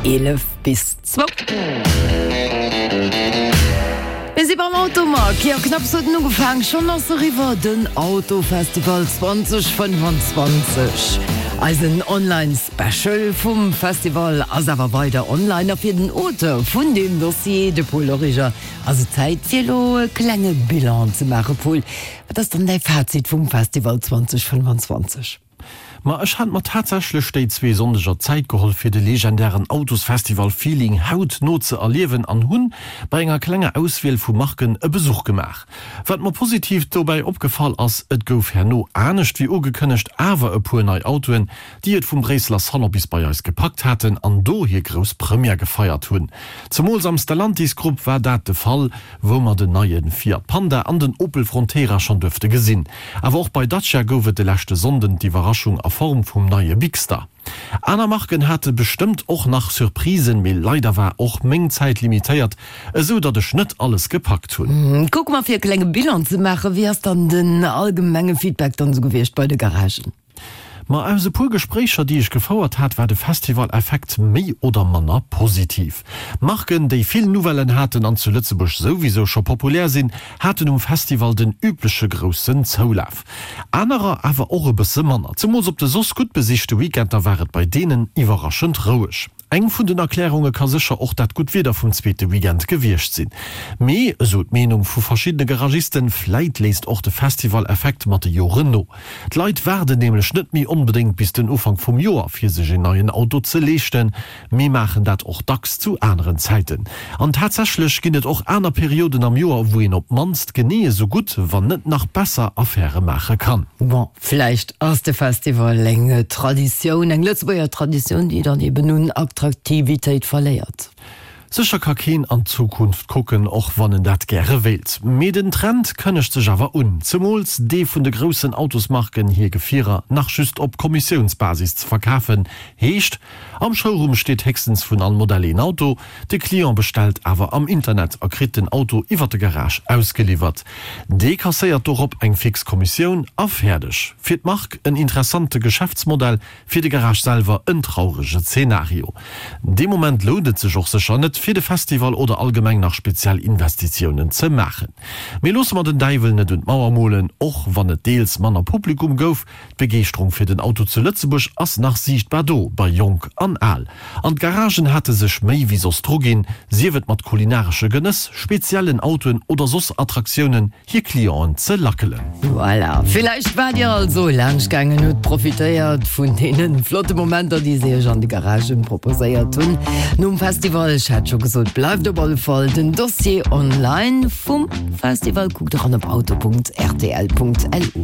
11 bis zwou. Mir si beim Automag. Jo, knapps huet en ugefaang, schonn ass eriwwer, den Autofestival 2025. Eisen Online Special vum Festival ass awer weider online a fir den Auteur vun deem Dossier, de Paul Origer, ass et Zäit fir elo e klenge Bilan ze maachen. Paul, wat ass dann däi Fazit vum Festival 2025? Ma ech hat mer tatsächlech déi zwee Sonndeger Zäit geholl fir de legendären Autosfestival Feeling haut no ze erliewen an hunn bei enger klenger Auswiel vu Marken e Besuch gemaach. Wat mer positiv dobäi opgefall ass, et gouf herno anescht wéi ugekënnegt awer e puer nei Autoen, déi et vum Bréisseler Salon bis bei eis gepackt haten an do hir grouss Première gefeiert hunn. Zemools am Stellantis Grupp war dat de Fall, wou mer den neie Fiat Panda an den Opel Frontera schonn duerfte gesinn. Awer och bei Dacia gouf et de leschte Sonnden d'Iwwerraschung a Form vum neie Bigster. Aner Marken hate bestëmmt och nach Surprisen, mee leider war och meng Zäit limitéiert, esou datt ech net alles gepackt hunn. Kucke mer fir e klenge Bilan ze maachen. Wéi ass dann den allgemenge Feedback dann esou gewiescht bei de Garagen? Ma aus e puer Gespréicher, déi ech gefouert hat, war de Festival-Effekt méi oder manner positiv. Marken, déi vill Nouvellen haten an zu Lëtzebuerg souwisou scho populär sinn, haten um Festival den übleche groussen Zoulaf. Anerer awer och e bësse manner. Zemools op de soss gutt besichte Weekender war et bei deenen iwwerraschend roueg. Eng vun den Erklärunge ka sécher och dat gutt Wieder vum zweete Weekend gewiescht sinn. Mee, esou d'Meenung vu verschiddene Garagisten, vläit léisst och de Festival-Effekt mat de Joren no. D'Leit waarden nämlech net méi onbedéngt bis den Ufank vum Joer fir sech een neien Auto ze leeschten, mee maachen dat och dacks zu aneren Zäiten. An tatsächlech ginn et och aner Perioden am Joer, wou een op d'mannst genee esou gutt, wann net nach besser Affäre maache kann. Bon, Vläicht ass de Festival eng Traditioun, eng Lëtzebuerger Traditioun, déi dann eben un Attraktivitéit verléiert. Sécher ka keen an d'Zukunft kucken, och wann en dat gäre wéilt. Mee den Trend kënnegt sech awer un, zemools dee vun de groussen Autosmarken hir Gefierer nach just op Kommissiounsbasis ze verkafen. Heescht, am Showroom steet héchstens vun all Modell een Auto, De Client bestellt awer am Internet a kritt den Auto iwwer de Garage ausgeliwwert. Dee kasséiert dorop eng fix Kommissioun a fäerdeg. Fir d'Mark en interessante Geschäftsmodell, fir de Garage selwer en traurege Zenario. Dee Moment lount et sech och sécher net, fir de Festival oder allgemeng nach speziell Investitiounen ze maachen. Mee loosse mer den Däiwel net un d'Mauer molen, och wann et deels manner Publikum gouf, D'Begeeschterung fir den Auto zu Lëtzebuerg ass nach siichtbar do, bei Jonk an Al. An d'Garagen hate sech méi wéi soss druginn, sief et mat kulinaresche Genëss, speziellen Autoen oder soss Attraktiounen, hir Clienten ze lackelen. Voilà, villäicht waart Dir also laanscht gaangen, hutt profitéiert vun deene flotte Momenter, déi se Iech an de Garagen proposéiert hunn nom Festival. Ech hat scho gesot, bleift op alle Fall den Dossier online vum Festival. Kuckt eran op auto.rtl.lu.